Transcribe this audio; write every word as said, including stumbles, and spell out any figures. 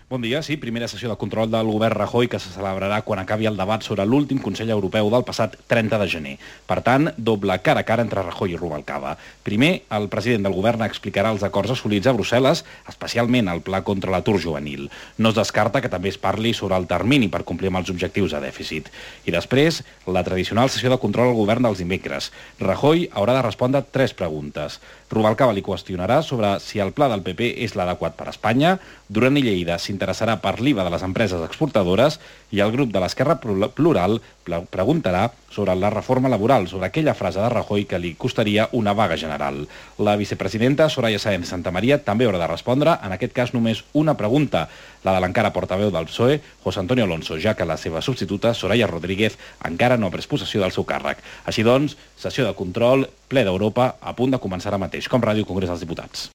Bon dia. Sí, primera sessió de control del govern Rajoy que se celebrarà quan acabi el debat sobre l'últim Consell Europeu del passat trenta de gener. Per tant, doble cara a cara entre Rajoy i Rubalcaba. Primer, el president del govern explicarà els acords assolits a Brussel·les, especialment el pla contra l'atur juvenil. No es descarta que també es parli sobre el termini per complir amb els objectius de dèficit. I després, la tradicional sessió de control al govern dels dimecres. Rajoy haurà de respondre tres preguntes. Rubalcaba li qüestionarà sobre si el pla del P P és l'adequat per a Espanya, Duran i Lleida s'interessarà per l'I V A de les empreses exportadores i el grup de l'Esquerra Plural preguntarà sobre la reforma laboral, sobre aquella frase de Rajoy que li costaria una vaga general. La vicepresidenta Soraya Sáenz de Santamaría també haurà de respondre, en aquest cas només una pregunta, la de l'encara portaveu del P S O E, José Antonio Alonso, ja que la seva substituta, Soraya Rodríguez, encara no ha pres possessió del seu càrrec. Així doncs, sessió de control, ple d'Europa, a punt de començar ara mateix, com Ràdio Congrés dels Diputats.